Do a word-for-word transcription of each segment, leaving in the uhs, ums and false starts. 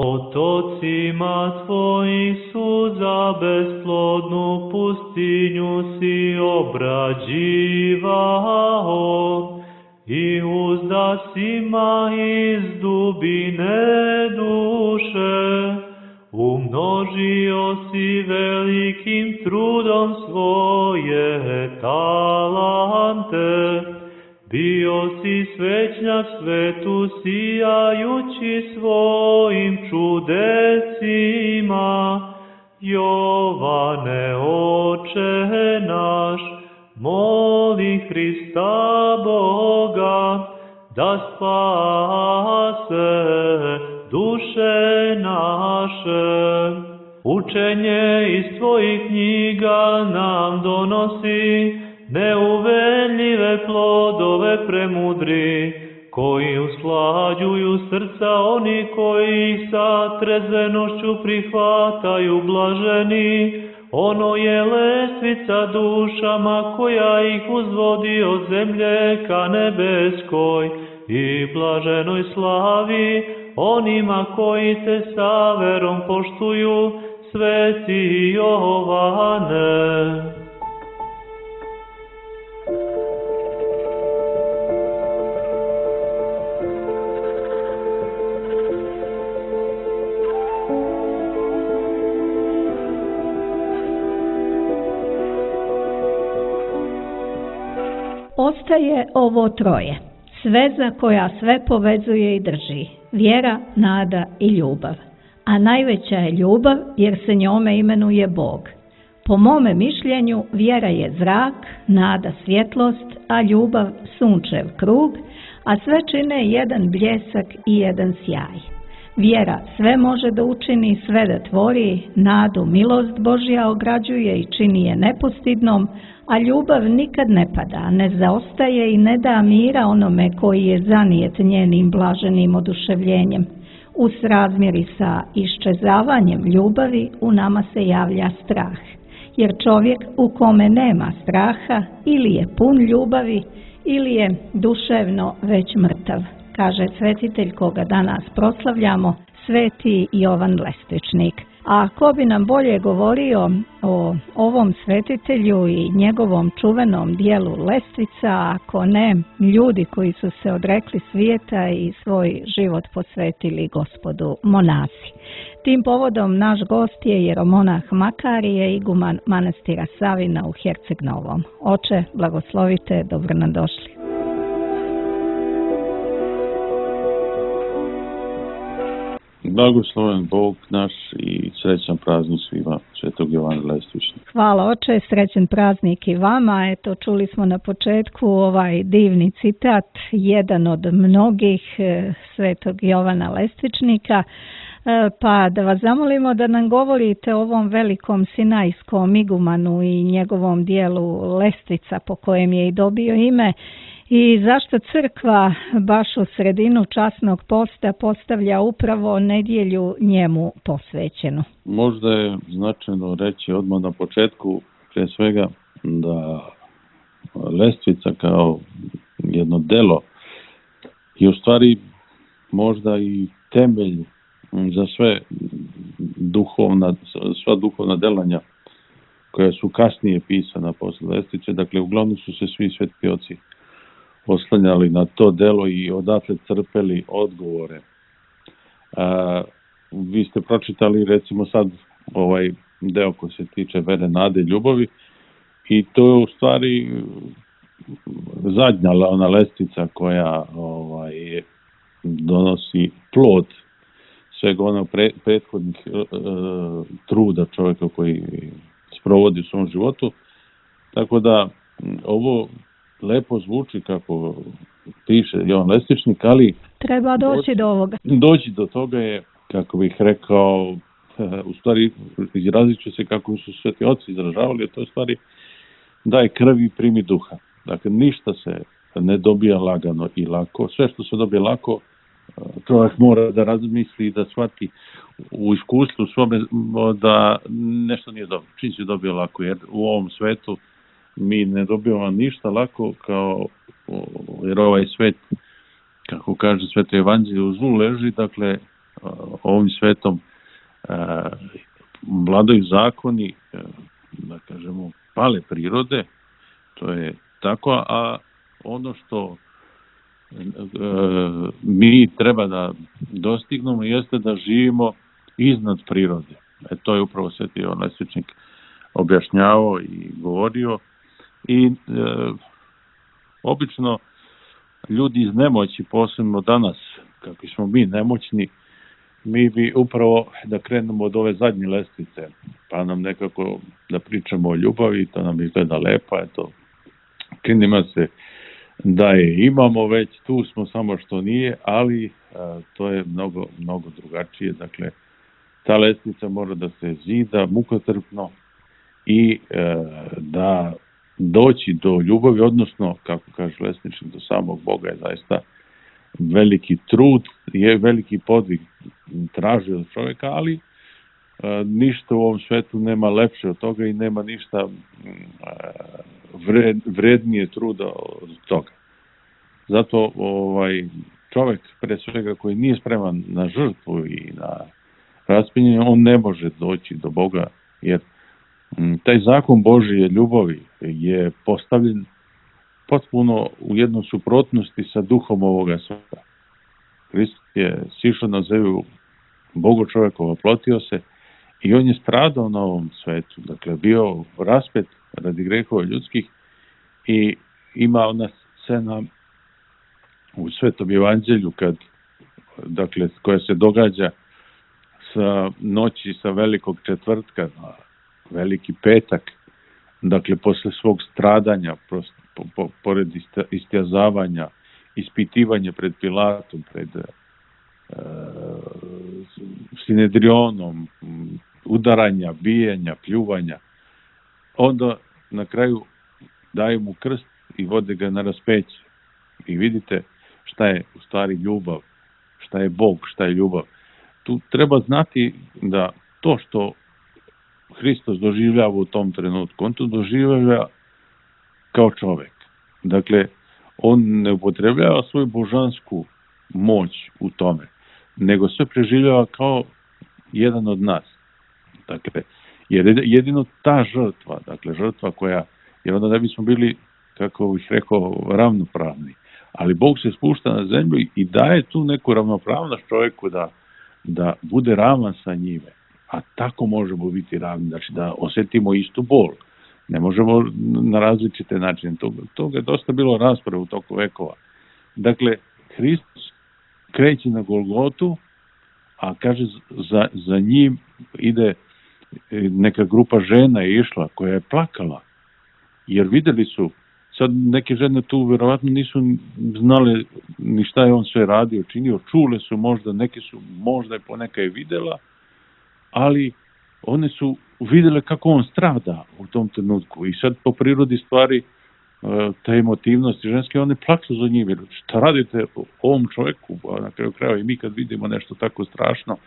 Potocima tvojih suza besplodnu pustinju si obrađivao i uzdasima iz dubine duše umnožio si velikim trudom svoje talante. Bio si svećnjak svetu sijajući svojim čudesima. Jovane, Oče naš, moli Hrista Boga da spase duše naše. Učenje iz tvojih knjiga nam donosi neuveljive plodove premudri, koji usklađuju srca oni koji ih sa trezvenošću prihvataju blaženi. Ono je lestvica dušama koja ih uzvodi od zemlje ka nebeskoj i blaženoj slavi onima koji te sa verom poštuju, sveti Jovane. Ostaje ovo troje, sveza koja sve povezuje i drži, vjera, nada i ljubav. A najveća je ljubav jer se njome imenuje Bog. Po mome mišljenju vjera je zrak, nada svjetlost, a ljubav sunčev krug, a sve čine jedan bljesak i jedan sjaj. Vjera sve može da učini, sve da tvori, nadu milost Božja ograđuje i čini je nepostidnom, a ljubav nikad ne pada, ne zaostaje i ne da mira onome koji je zanijet njenim blaženim oduševljenjem. U srazmjeri sa iščezavanjem ljubavi u nama se javlja strah, jer čovjek u kome nema straha ili je pun ljubavi ili je duševno već mrtav, kaže svetitelj koga danas proslavljamo, sveti Jovan Lestičnik. A ko bi nam bolje govorio o ovom svetitelju i njegovom čuvenom dijelu Lestvica, ako ne ljudi koji su se odrekli svijeta i svoj život posvetili Gospodu, monasi. Tim povodom naš gost je jeromonah Makarije, iguman manastira Savina u Herceg Novom. Oče, blagoslovite, dobro nam došli. Blagosloven Bog naš i srećan praznik svima, svetog Jovana Lestičnika. Hvala oče, srećan praznik i vama. Eto, čuli smo na početku ovaj divni citat, jedan od mnogih svetog Jovana Lestičnika. Pa da vas zamolimo da nam govorite o ovom velikom sinajskom igumanu i njegovom dijelu Lestvica po kojem je i dobio ime. I zašto crkva baš u sredinu časnog posta postavlja upravo nedjelju njemu posvećenu? Možda je značajno reći odmah na početku, prije svega, da Lestvica kao jedno delo je u stvari možda i temelj za sve duhovna, sva duhovna delanja koja su kasnije pisana posle Lestvice. Dakle, uglavnom su se svi svetski oci oslanjali na to delo i odatle crpeli odgovore. A, vi ste pročitali recimo sad ovaj deo koji se tiče vere, nade i ljubavi i to je u stvari zadnja ona lestvica koja ovaj, donosi plod svega onog pre, prethodnih e, truda čovjeka koji sprovodi u svom životu. Tako da ovo lepo zvuči kako piše Jovan Lestičnik, ali treba doći, doći do ovoga. Doći do toga je, kako bih rekao, u stvari izrazit ću se kako su sveti oci izražavali, to je u stvari daj krvi i primi duha. Dakle, ništa se ne dobija lagano i lako. Sve što se dobije lako, čovjek mora da razmisli i da shvati u iskustvu svome da nešto nije dobro. Čim se dobije lako, jer u ovom svetu mi ne dobijamo ništa lako, kao, jer ovaj svet, kako kaže Sveto Evanđelje, u zlu leži, dakle, ovim svetom vladaju zakoni, da kažemo, pale prirode, to je tako, a ono što mi treba da dostignemo jeste da živimo iznad prirode. E, to je upravo Sveti Jovan Lesvičnik objašnjavao i govorio. I e, obično ljudi iz nemoći, posebno danas, kako smo mi nemoćni, mi bi upravo da krenemo od ove zadnje lestvice, pa nam nekako da pričamo o ljubavi, to nam izgleda lepo, eto, činimo se da je imamo već, tu smo, samo što nije, ali a, to je mnogo, mnogo drugačije. Dakle, ta lestvica mora da se zida mukotrpno i e, da doći do ljubavi, odnosno, kako kaže Lesničnik, do samog Boga je zaista veliki trud, je veliki podvig traži od čovjeka, ali e, ništa u ovom svetu nema lepše od toga i nema ništa e, vred, vrednije truda od toga. Zato ovaj čovjek, pre svega, koji nije spreman na žrtvu i na raspinjenje, on ne može doći do Boga, jer m, taj zakon Božije ljubavi je postavljen potpuno u jednom suprotnosti sa duhom ovoga sveta. Hristos je sišao na zemlju, Bogo čovjekova, plotio se i on je stradao na ovom svetu, dakle bio raspet radi grehova ljudskih i ima ona scena u Svetom Evanđelju kad, dakle, koja se događa sa noći sa velikog četvrtka na veliki petak, dakle posle svog stradanja, prosto, po, po, pored istjazavanja, ispitivanja pred Pilatom, pred e, Sinedrionom, udaranja, bijenja, pljuvanja, onda na kraju daju mu krst i vode ga na raspeće. I vidite šta je u stvari ljubav, šta je Bog, šta je ljubav. Tu treba znati da to što Hristos doživljava u tom trenutku, on to doživljava kao čovjek. Dakle, on ne upotrebljava svoju božansku moć u tome, nego sve preživljava kao jedan od nas. Dakle, jer jedino ta žrtva, dakle žrtva koja, jer onda ne bismo bili, kako bih rekao, ravnopravni. Ali Bog se spušta na zemlju i daje tu neku ravnopravnost čovjeku da, da bude ravan sa njime. A tako možemo biti ravni, znači da osjetimo istu bol. Ne možemo na različite načine. Toga, toga je dosta bilo rasprave u toku vekova. Dakle, Hristos kreće na Golgotu, a kaže za, za njim ide neka grupa žena je išla koja je plakala. Jer vidjeli su, sad neke žene tu vjerovatno nisu znale ni šta je on sve radio, činio, čule su možda, neke su možda i poneka je vidjela, ali one su vidjele kako on strada u tom trenutku i sad po prirodi stvari te emotivnosti ženske, one plaksu za njim, jer šta radite ovom čovjeku, a na kraju krajeva i mi kad vidimo nešto tako strašno,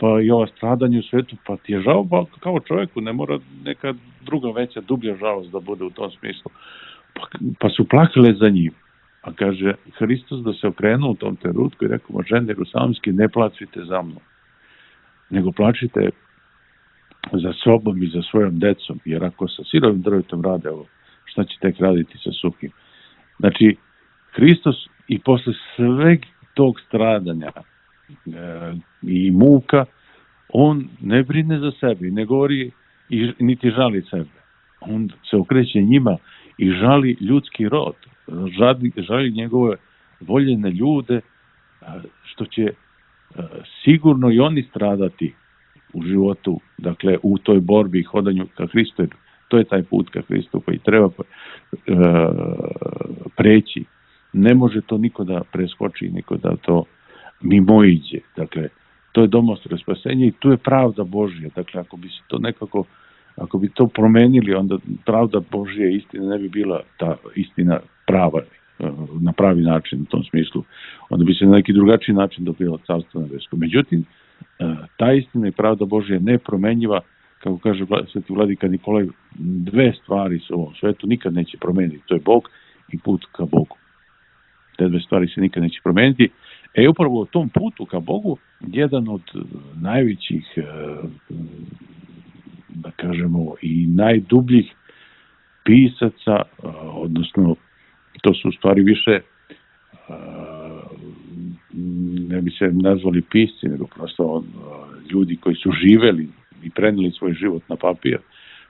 pa i ova stradanje u svetu, pa ti je žao pa kao čovjeku, ne mora neka druga veća, dublja žalost da bude u tom smislu. Pa, pa su plakale za njim. A kaže Hristos da se okrenuo u tom trenutku i rekao, žene jerusalimske, ne plačite za mnom, nego plačite za sobom i za svojom decom, jer ako sa sirovim drvetom rade ovo, šta će tek raditi sa suhim? Znači, Hristos i posle sveg tog stradanja e, i muka, on ne brine za sebe, ne govori i niti žali sebe. On se okreće njima i žali ljudski rod, žali, žali njegove voljene ljude, što će sigurno i oni stradati u životu, dakle u toj borbi i hodanju ka Hristu. To je taj put ka Hristu koji treba e, preći. Ne može to niko da preskoči, niko da to mimoiđe. Dakle, to je domostre spasenje i tu je pravda Božja. Dakle, ako bi se to nekako, ako bi to promenili, onda pravda Božja istina ne bi bila ta istina prava, na pravi način u tom smislu. Onda bi se na neki drugačiji način dobilo carstvo nebesko. Međutim, ta istina i pravda Božja je nepromenjiva, kako kaže sveti vladika Nikolaj, dve stvari se u ovom svetu nikad neće promeniti. To je Bog i put ka Bogu. Te dve stvari se nikad neće promeniti. E upravo u tom putu ka Bogu, jedan od najvećih, da kažemo, i najdubljih pisaca, odnosno to su u stvari više, ne bi se nazvali pisci, nego prosto ljudi koji su živeli i prenijeli svoj život na papir,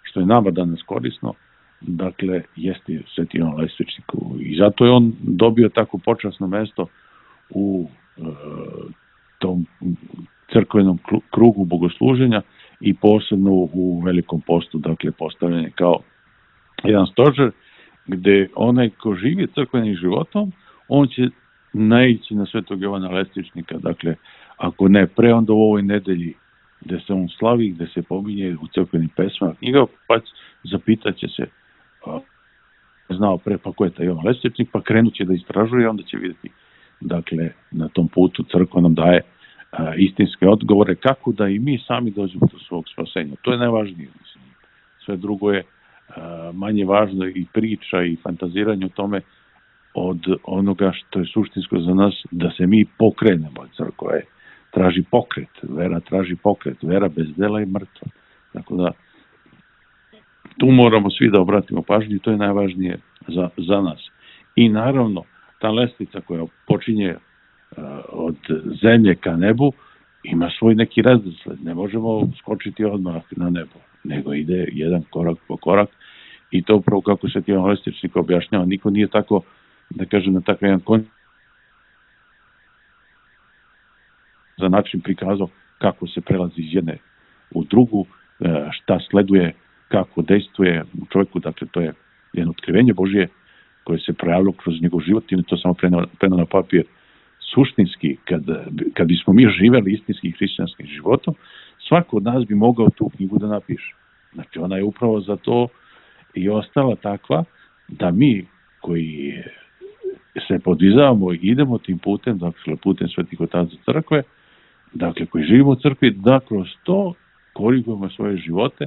što je nama danas korisno, dakle, jeste Sveti Jovan Lestvičnik. I zato je on dobio tako počasno mesto u e, tom crkvenom krugu bogosluženja i posebno u Velikom postu, dakle, postavljen je kao jedan stožer gde onaj ko živi crkvenim životom, on će naići na Svetog Jovana Lestvičnika, dakle, ako ne pre, onda u ovoj nedelji gde se on slavi, gde se pominje u crkvenim pesmama knjiga, pa zapitaće se, a, znao pre, pa ko je taj Jovan Lestvičnik, pa krenut će da istražuje i onda će vidjeti, dakle, na tom putu crkva nam daje a, istinske odgovore kako da i mi sami dođemo do svog spasenja. To je najvažnije, mislim. Sve drugo je a, manje važno i priča i fantaziranje o tome od onoga što je suštinsko za nas, da se mi pokrenemo. Crkva je traži pokret, vera traži pokret, vera bez dela je mrtva. Tako da tu moramo svi da obratimo pažnju i to je najvažnije za, za nas. I naravno, ta lestvica koja počinje uh, od zemlje ka nebu ima svoj neki redosled. Ne možemo skočiti odmah na nebo, nego ide jedan korak po korak i to upravo kako se Jovan Lestvičnik objašnjava. Niko nije tako, da kažem, na takav jedan koncept za način prikazao kako se prelazi iz jedne u drugu, šta sleduje, kako dejstvuje u čovjeku, dakle to je jedno otkrivenje Božje koje se projavilo kroz njegov život i to samo preno na papir. Suštinski, kad, kad bismo mi živeli istinski hrišćanskim životom, svako od nas bi mogao tu knjigu da napiše. Znači ona je upravo za to i ostala takva da mi koji se podvizavamo i idemo tim putem, dakle putem Svetih otaca crkve, dakle koji živimo u crkvi, da kroz to korigujemo svoje živote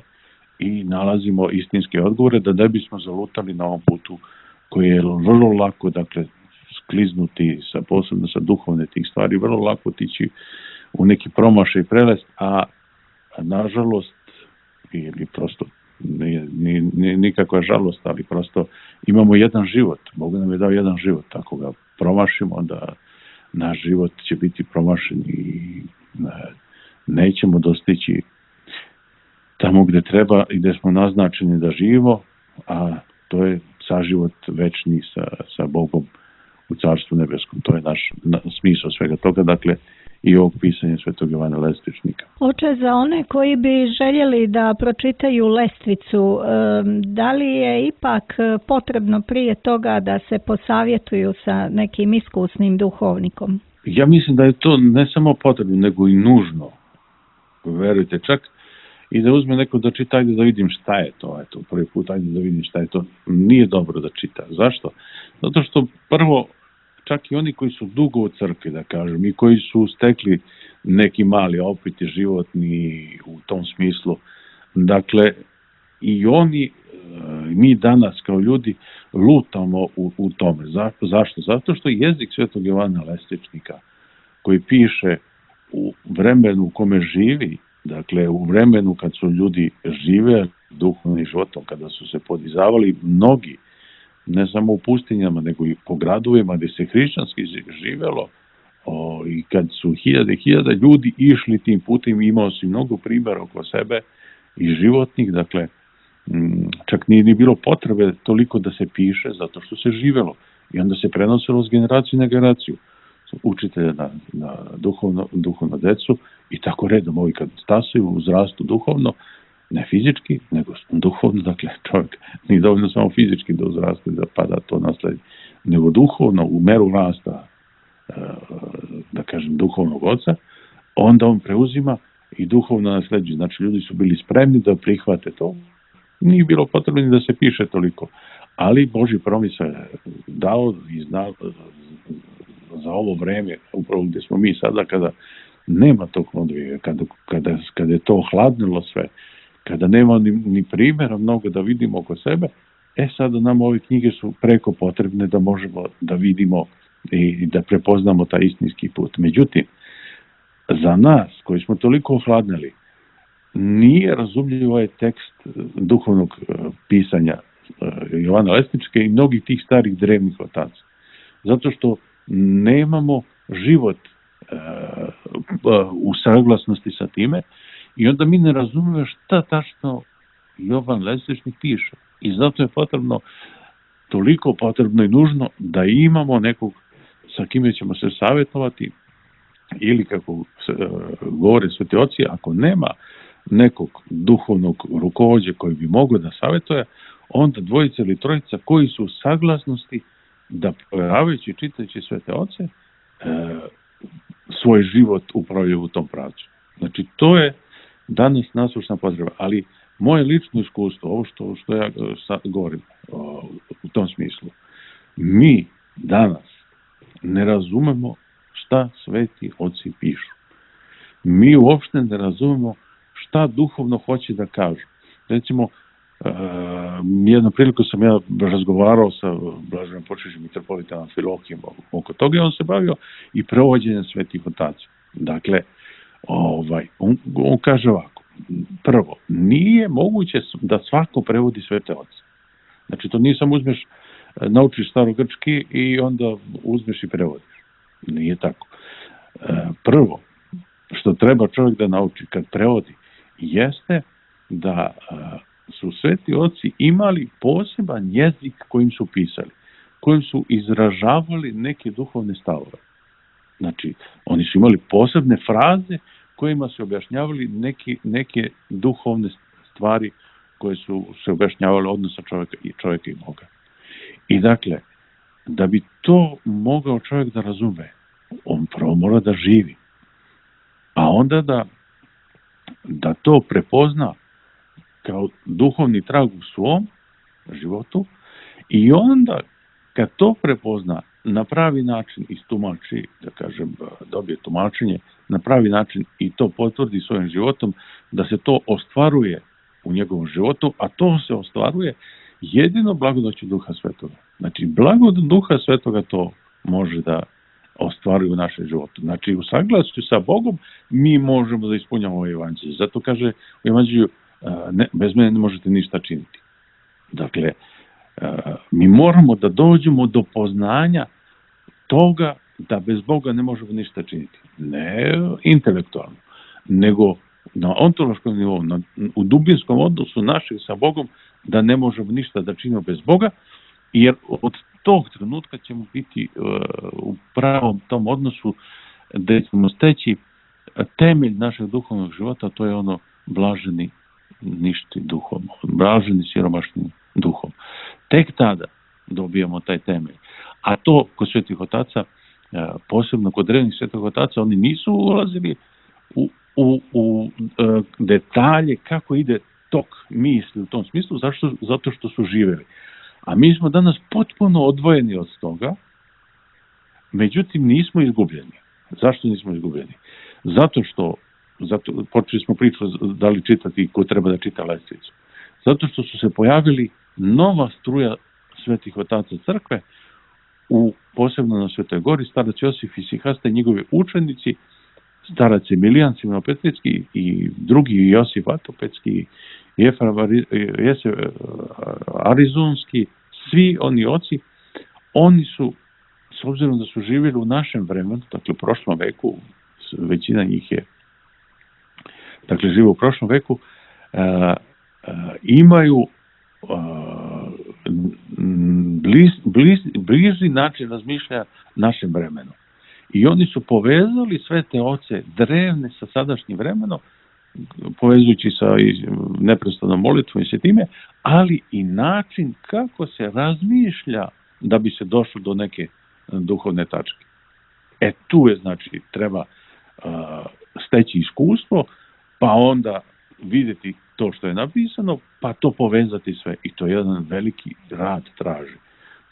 i nalazimo istinske odgovore, da ne bismo zalutali na ovom putu koji je vrlo lako, dakle, skliznuti, sa, posebno sa duhovne tih stvari, vrlo lako tići u neki promašaj i prelest, a, a nažalost, ili prosto nije, nije, nije nikakva žalost, ali prosto imamo jedan život, Bog nam je dao jedan život, ako ga promašimo, onda naš život će biti promašen i nećemo dostići tamo gde treba i gde smo naznačeni da živimo, a to je saživot večni sa, sa Bogom u Carstvu nebeskom. To je naš na, smisao svega toga, dakle, i ovog pisanja Svetog Jovana Lestvičnika. Oče, za one koji bi željeli da pročitaju Lestvicu, da li je ipak potrebno prije toga da se posavjetuju sa nekim iskusnim duhovnikom? Ja mislim da je to ne samo potrebno, nego i nužno. Verujte, čak i da uzme neko da čita, ajde da vidim šta je to, eto, prvi put, ajde da vidim šta je to, nije dobro da čita. Zašto? Zato što prvo, čak i oni koji su dugo u crkvi, da kažem, i koji su stekli neki mali opit životni u tom smislu, dakle, i oni, mi danas kao ljudi lutamo u, u tome. Za, zašto? Zato što jezik Svetog Jovana Lestvičnika, koji piše u vremenu u kome živi, dakle, u vremenu kad su ljudi žive duhovnim životom, kada su se podizavali mnogi, ne samo u pustinjama, nego i po gradovima gde se hrišćanski živelo, o, i kad su hiljade i hiljade ljudi išli tim putem, imao si mnogo primjera oko sebe i životnih, dakle, m, čak nije ni bilo potrebe toliko da se piše, zato što se živelo i onda se prenosilo s generacije na generaciju. Učitelja na, na duhovno, duhovno decu i tako redom, ovi kad stasaju, uzrastu duhovno, ne fizički, nego duhovno, dakle čovjek nije dovoljno samo fizički da uzraste, da pada to nasledi, nego duhovno, u meru rasta, da kažem, duhovnog oca, onda on preuzima i duhovno nasleđuje. Znači, ljudi su bili spremni da prihvate to, nije bilo potrebno da se piše toliko, ali Božji promisao je dao i znao za ovo vreme, upravo gde smo mi sada, kada nema tog odvija, kada, kada, kada je to hladnilo sve, kada nema ni, ni primjera mnogo da vidimo oko sebe, e sada nam ove knjige su preko potrebne da možemo da vidimo i da prepoznamo taj istinski put. Međutim, za nas koji smo toliko ohladnili, nije razumljiv ovaj tekst duhovnog pisanja Jovana Lesničke i mnogih tih starih drevnih otaca. Zato što nemamo život u saglasnosti sa time i onda mi ne razumijemo šta tačno Jovan Lesničnik piše. I zato je potrebno, toliko potrebno i nužno da imamo nekog sa kime ćemo se savjetovati ili kako se, govore sveti oci, ako nema nekog duhovnog rukovođe koji bi mogao da savjetuje, onda dvojica ili trojica koji su u saglasnosti da provjeravajući i čitajući svete oce e, svoj život upravljaju u tom pravcu. Znači, to je danas nasušna potreba, ali moje lično iskustvo, ovo što, što ja sad govorim o, u tom smislu, mi danas ne razumemo šta sveti oci pišu. Mi uopšte ne razumemo šta duhovno hoće da kažu. Recimo, uh, jednom priliku sam ja razgovarao sa blaženom počešćim mitropolitom Amfilohijem oko toga i on se bavio i prevođenjem svetih otaca. Dakle, ovaj, on, on kaže ovako, prvo, nije moguće da svako prevodi svete oce. Znači, to nije samo uzmeš, naučiš starogrčki i onda uzmeš i prevodiš. Nije tako. Prvo, što treba čovjek da nauči kad prevodi, jeste da su sveti oci imali poseban jezik kojim su pisali, kojim su izražavali neke duhovne stavove. Znači, oni su imali posebne fraze kojima su objašnjavali neke, neke duhovne stvari koje su se objašnjavale odnosa čovjeka i čovjeka i Boga. I dakle, da bi to mogao čovjek da razume, on prvo mora da živi. A onda da, da to prepozna kao duhovni trag u svom životu i onda kad to prepozna na pravi način istumači, da kažem, dobije tumačenje, na pravi način i to potvrdi svojim životom, da se to ostvaruje u njegovom životu, a to se ostvaruje jedino blagodaću Duha Svetoga. Znači, blagodat Duha Svetoga to može da ostvaruje u našem životu. Znači, u saglasju sa Bogom mi možemo da ispunjamo ovaj evanđelje. Zato kaže u evanđelju, ne, bez mene ne možete ništa činiti. Dakle, mi moramo da dođemo do poznanja toga da bez Boga ne možemo ništa činiti. Ne intelektualno, nego na ontološkom nivou, na, u dubinskom odnosu našeg sa Bogom, da ne možemo ništa da činimo bez Boga, jer od tog trenutka ćemo biti uh, u pravom tom odnosu da ćemo steći temelj našeg duhovnog života, to je ono blaženi ništi duhom, blaženi siromašnim duhom. Tek tada dobijamo taj temelj. A to kod svetih otaca, uh, posebno kod drevnih svetih otaca, oni nisu ulazili u, u, u uh, detalje kako ide tok misli u tom smislu, zašto? Zato što su živeli. A mi smo danas potpuno odvojeni od toga, međutim nismo izgubljeni. Zašto nismo izgubljeni? Zato što, zato, počeli smo priču da li čitati ko treba da čita Lestvicu. Zato što su se pojavili nova struja svetih otaca crkve, u, posebno na Svetoj Gori, starac Josif Isihasta i njegovi učenici, starac Emilijan Simonopetrijski i drugi Josif Vatopetski, Jefrem Arizonski, svi oni oci, oni su, s obzirom da su živjeli u našem vremenu, dakle u prošlom veku, većina njih je, dakle žive u prošlom veku, uh, uh, imaju uh, bliz, bliz, bliži način razmišljanja našem vremenu. I oni su povezali sve te oce drevne sa sadašnjim vremenom, povezujući sa neprestanom molitvom i sve time, ali i način kako se razmišlja da bi se došlo do neke duhovne tačke. E tu je, znači, treba uh, steći iskustvo, pa onda vidjeti to što je napisano, pa to povezati sve. I to je jedan veliki rad traži.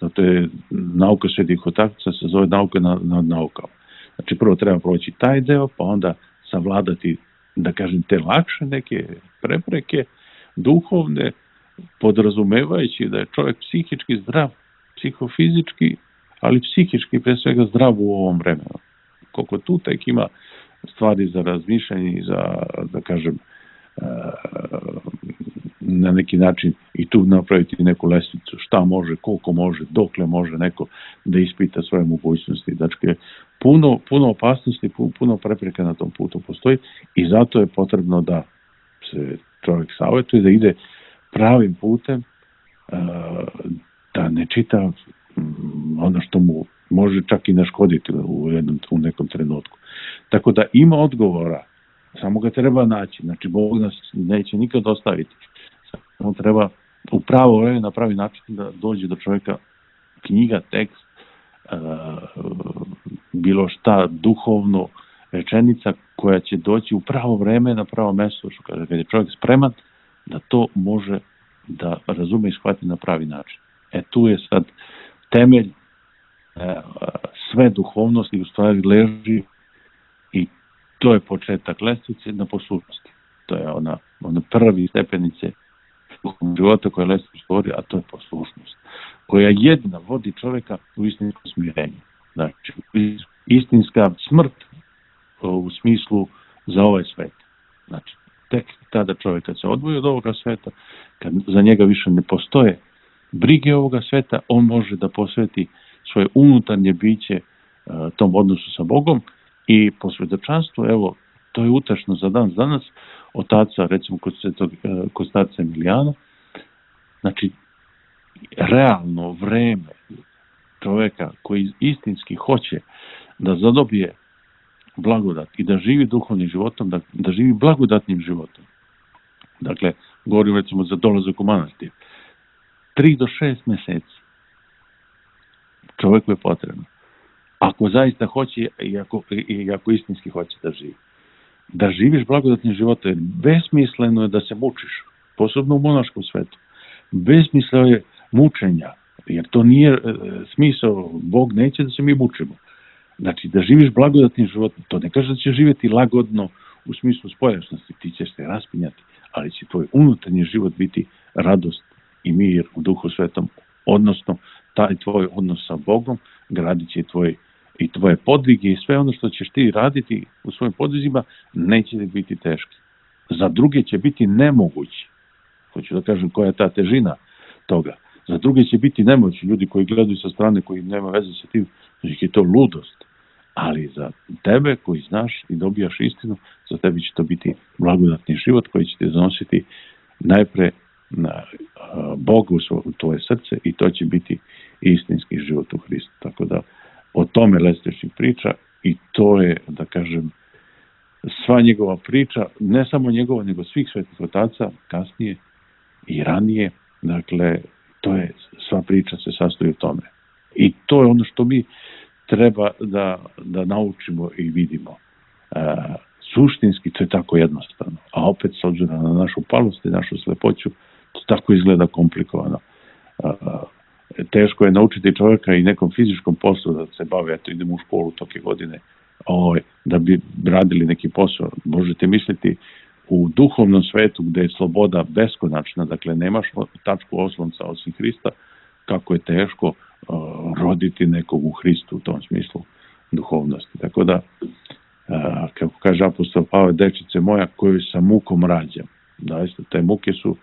Zato je nauka svetih otaca se zove nauka nad na naukama. Znači, prvo treba proći taj deo, pa onda savladati, da kažem, te lakše neke prepreke duhovne, podrazumevajući da je čovjek psihički zdrav, psihofizički, ali psihički pre svega zdrav u ovom vremenu. Koliko tu tek ima stvari za razmišljanje i za, da kažem, na neki način i tu napraviti neku lestvicu, šta može, koliko može, dokle može neko da ispita svoje mogućnosti. Dakle, puno, puno opasnosti, puno prepreka na tom putu postoji i zato je potrebno da se čovjek savjetuje, da ide pravim putem, da ne čita ono što mu može čak i naškoditi u, jednom, u nekom trenutku. Tako da ima odgovora, samo ga treba naći. Znači, Bog nas neće nikad ostaviti. Samo treba u pravo vreme na pravi način da dođe do čovjeka knjiga, tekst, bilo šta duhovno, rečenica koja će doći u pravo vreme na pravo mjesto, što kaže, kad je čovjek spreman da to može da razume i shvati na pravi način. E tu je sad temelj sve duhovnosti u stvari leži i to je početak lestvice na poslušnosti. To je ona, ona prvi stepenice života koja lestvica stvori, a to je poslušnost, koja jedina vodi čovjeka u istinsko smirenje. Znači, istinska smrt u smislu za ovaj svet. Znači, tek tada čovjek kad se odvoji od ovoga sveta, kad za njega više ne postoje brige ovoga sveta, on može da posveti svoje unutarnje biće uh, tom odnosu sa Bogom i po svjedočanstvu, evo, to je utešno za dan danas, otaca, recimo kod, svetog, uh, kod starca Emilijana, znači, realno vreme čovjeka koji istinski hoće da zadobije blagodat i da živi duhovnim životom, da, da živi blagodatnim životom. Dakle, govorim recimo za dolazak u manastir. Tri do šest mjeseci čovjeku je potrebno. Ako zaista hoće i ako, i ako istinski hoće da živi. Da živiš blagodatnim životom, jer besmisleno je da se mučiš, posebno u monaškom svetu. Besmisleno je mučenja, jer to nije e, smisao, Bog neće da se mi mučimo. Znači, da živiš blagodatnim životom, to ne kaže da ćeš živjeti lagodno u smislu spoljašnosti, ti ćeš se raspinjati, ali će tvoj unutarnji život biti radost i mir u Duhu Svetom, odnosno taj tvoj odnos sa Bogom gradit će tvoj, i tvoje podvige i sve ono što ćeš ti raditi u svojim podvizima neće biti teški. Za druge će biti nemogući. Hoću da kažem koja je ta težina toga. Za druge će biti nemogući. Ljudi koji gledaju sa strane, koji nema veze sa tim, znači je to ludost. Ali za tebe koji znaš i dobijaš istinu, za tebi će to biti blagodatni život koji će te zanositi najpre na Bogu u tvoje srce i to će biti istinski život u Hristu. Tako da o tome Lestvičnik priča i to je, da kažem, sva njegova priča, ne samo njegova, nego svih svetih otaca kasnije i ranije. Dakle, to je, sva priča se sastoji u tome. I to je ono što mi treba da, da naučimo i vidimo. E, suštinski to je tako jednostavno. A opet, s obzirom na našu palost i našu slepoću, to tako izgleda komplikovano. E, teško je naučiti čovjeka i nekom fizičkom poslu da se bave, eto idemo u školu toke godine, o, da bi radili neki posao. Možete misliti u duhovnom svetu gdje je sloboda beskonačna, dakle nemaš tačku oslonca osim Hrista, kako je teško uh, roditi nekog u Hristu u tom smislu duhovnosti. Tako da, uh, kako kaže apostol Pavle, dečice moja koju sa mukom rađam. Zaista, te muke su uh,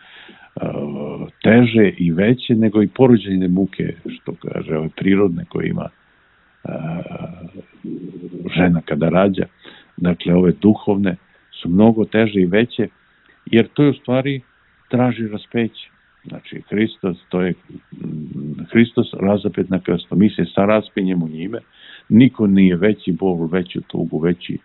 teže i veće nego i porođajne muke, što kaže, ove prirodne koje ima uh, žena kada rađa. Dakle, ove duhovne su mnogo teže i veće, jer to je u stvari traži raspeće. Znači, Hristos, to je Hristos razapet na krstu. Mi se saraspinjemo njime, niko nije veći bol, veću tugu, veći,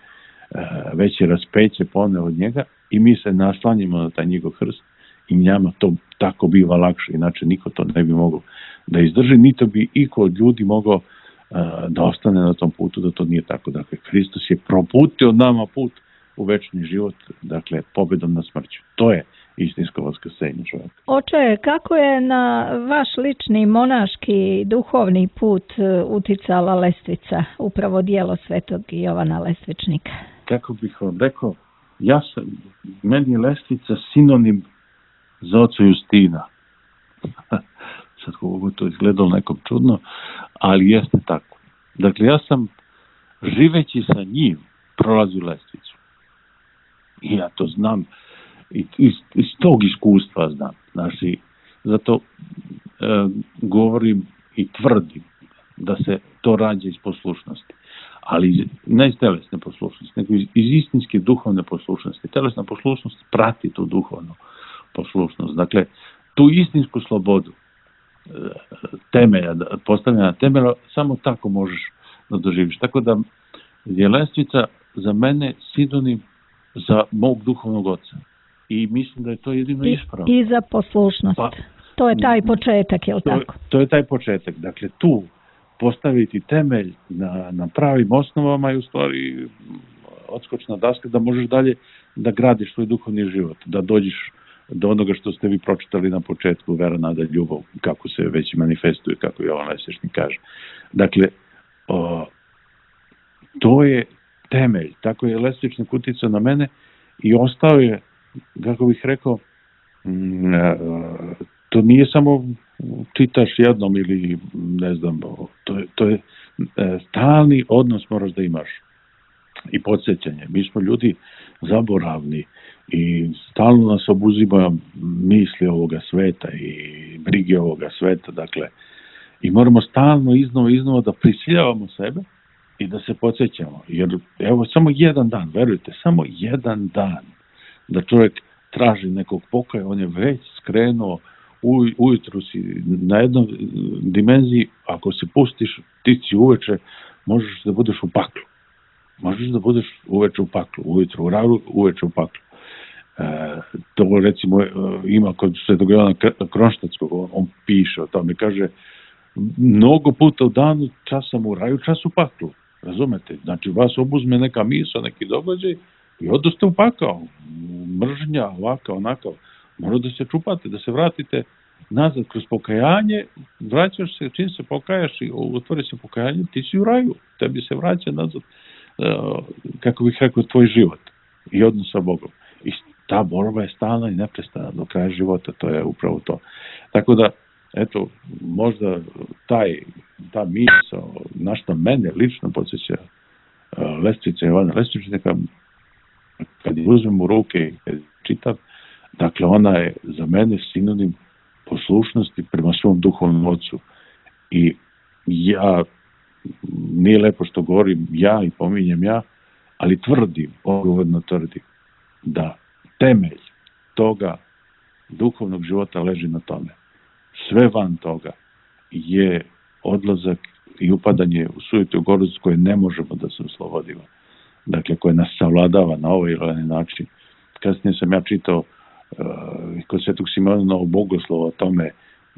veće raspeće poneo od njega i mi se naslanjimo na taj njegov krst i njama to tako biva lakše, inače niko to ne bi mogao da izdrži, niti bi iko od ljudi mogao da ostane na tom putu, da to nije tako. Dakle, Hristos je proputio nama put u večni život, dakle, pobjedom na smrću. To je istinsko vaskrsenje čovjeka. Oče, kako je na vaš lični monaški duhovni put uticala Lestvica, upravo djelo svetog Jovana Lestvičnika? Kako bih vam rekao, ja sam, meni je Lestvica sinonim za oca Justina. sad kako to izgledalo nekom čudno, ali jeste tako. Dakle, ja sam živeći sa njim prolazio lestvicu. I ja to znam, i iz, iz tog iskustva znam. Znači, zato e, govorim i tvrdim da se to rađa iz poslušnosti. Ali ne iz telesne poslušnosti, nego iz, iz istinske duhovne poslušnosti. Telesna poslušnost prati tu duhovnu poslušnost. Dakle, tu istinsku slobodu temelja, postavljena temelja, samo tako možeš da doživiš. Tako da je lestvica za mene sinonim za mog duhovnog oca. I mislim da je to jedino ispravno. I za poslušnost. Pa, to je taj početak, je li tako? To, to je taj početak. Dakle, tu postaviti temelj na, na pravim osnovama i u stvari odskočna daska da možeš dalje da gradiš svoj duhovni život, da dođeš do onoga što ste vi pročitali na početku, vera, nada, ljubav, kako se već manifestuje, kako Jovan Lesvešnik kaže. Dakle, o, to je temelj. Tako je Lesvešnik uticao na mene i ostao je, kako bih rekao, m, to nije samo čitaš jednom ili ne znam, to je, to je stalni odnos moraš da imaš i podsjećanje. Mi smo ljudi zaboravni i stalno nas obuzimaju misli ovoga sveta i brige ovoga sveta, dakle, i moramo stalno iznova iznova da prisiljavamo sebe i da se podsjećamo, jer evo samo jedan dan, verujte, samo jedan dan da čovjek traži nekog pokoja, on je već skrenuo u, ujutru si na jednoj dimenziji, ako se pustiš ti si uveče, možeš da budeš u paklu. Možeš da budeš uveče u paklu, ujutru u radu, uveče u paklu. E, to recimo ima kod Svetog Jovana Kronštatskog, on, on piše o tome, kaže mnogo puta u danu čas sam u raju, čas u paklu. Razumete? Znači vas obuzme neka misao, neki događaj i odoste u pakao. Mržnja, ovaka, onaka. Mora da se čupate, da se vratite nazad kroz pokajanje, vraćaš se, čim se pokajaš i otvori se pokajanje, ti si u raju, tebi se vraća nazad, kako bih rekao, tvoj život i odnos sa Bogom. I ta borba je stalna i neprestana do kraja života, to je upravo to. Tako da, eto, možda taj, ta misao, na što mene lično podsjeća Lestvica Jovana Lesvešnika, kad je uzmem u ruke i kad čitam, dakle, ona je za mene sinonim poslušnosti prema svom duhovnom ocu. I ja, nije lepo što govorim ja i pominjem ja, ali tvrdim, odgovorno tvrdim, da temelj toga duhovnog života leži na tome. Sve van toga je odlazak i upadanje u sujetu gorost koje ne možemo da se oslobodimo. Dakle, koje nas savladava na ovaj ili onaj način. Kasnije sam ja čitao uh, kod Svetog Simona Novog Bogoslova o tome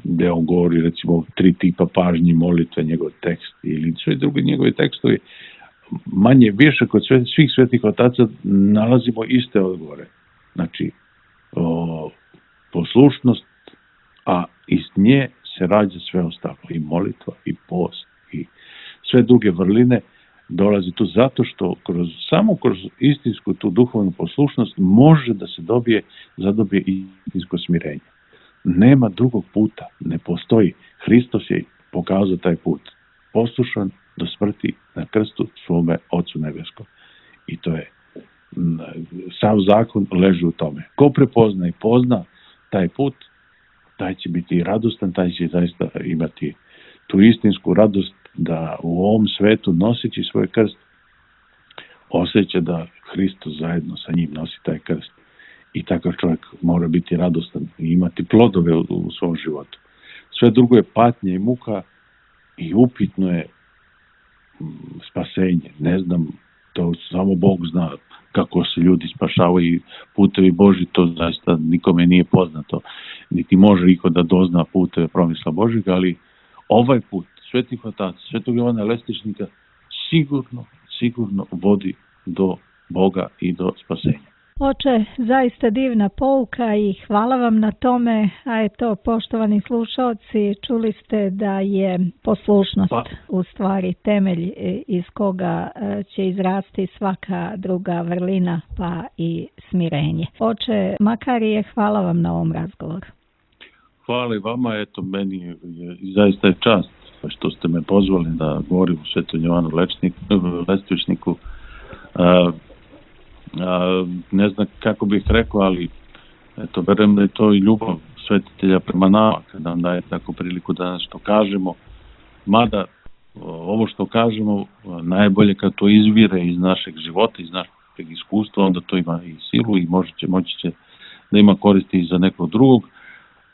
gde on govori recimo tri tipa pažnji, molitve, njegov tekst ili sve drugi njegovi tekstovi. Manje više kod sve, svih svetih otaca nalazimo iste odgovore. Znači, o, poslušnost, a iz nje se rađa sve ostalo. I molitva, i post, i sve druge vrline dolazi tu zato što kroz, samo kroz istinsku tu duhovnu poslušnost može da se dobije, zadobije istinsko smirenje. Nema drugog puta, ne postoji. Hristos je pokazao taj put. Poslušan do smrti na krstu svome Ocu nebeskom. I to je, sav zakon leži u tome. Ko prepozna i pozna taj put, taj će biti radostan, taj će zaista imati tu istinsku radost da u ovom svetu noseći svoj krst osjeća da Hristos zajedno sa njim nosi taj krst. I takav čovjek mora biti radostan i imati plodove u, u svom životu. Sve drugo je patnja i muka i upitno je spasenje. Ne znam, to samo Bog zna kako se ljudi spašavaju i putevi Boži, to zaista nikome nije poznato. Niti može niko da dozna puteve promisla Božjega, ali ovaj put svetih otaca, Svetog Jovana Lesvešnika sigurno, sigurno vodi do Boga i do spasenja. Oče, zaista divna pouka i hvala vam na tome, a eto, poštovani slušalci, čuli ste da je poslušnost pa. u stvari temelj iz koga će izrasti svaka druga vrlina, pa i smirenje. Oče Makarije, hvala vam na ovom razgovoru. hvala i vama, eto, meni je, je zaista je čast što ste me pozvali da govorim u Svetom Jovanu Lestvičniku. A, a, ne znam kako bih rekao, ali eto, verujem da je to i ljubav svetitelja prema nama, kada nam daje tako priliku da nešto kažemo, mada ovo što kažemo najbolje kad to izvire iz našeg života, iz našeg iskustva, onda to ima i silu i može će, moći će da ima koristi i za nekog drugog,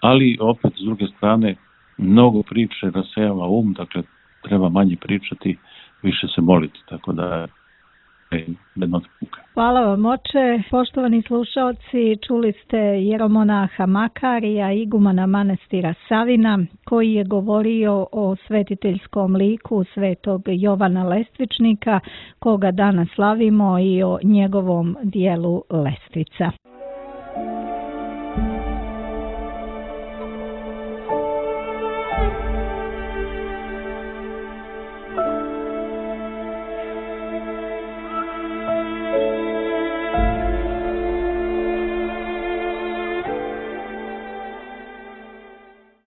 ali opet s druge strane mnogo priče rasejava um, dakle treba manje pričati, više se moliti, tako da je jedna puka. Hvala vam, oče. Poštovani slušaoci, čuli ste jeromonaha Makarija, igumana manastira Savina, koji je govorio o svetiteljskom liku svetog Jovana Lestvičnika, koga danas slavimo, i o njegovom dijelu Lestvica.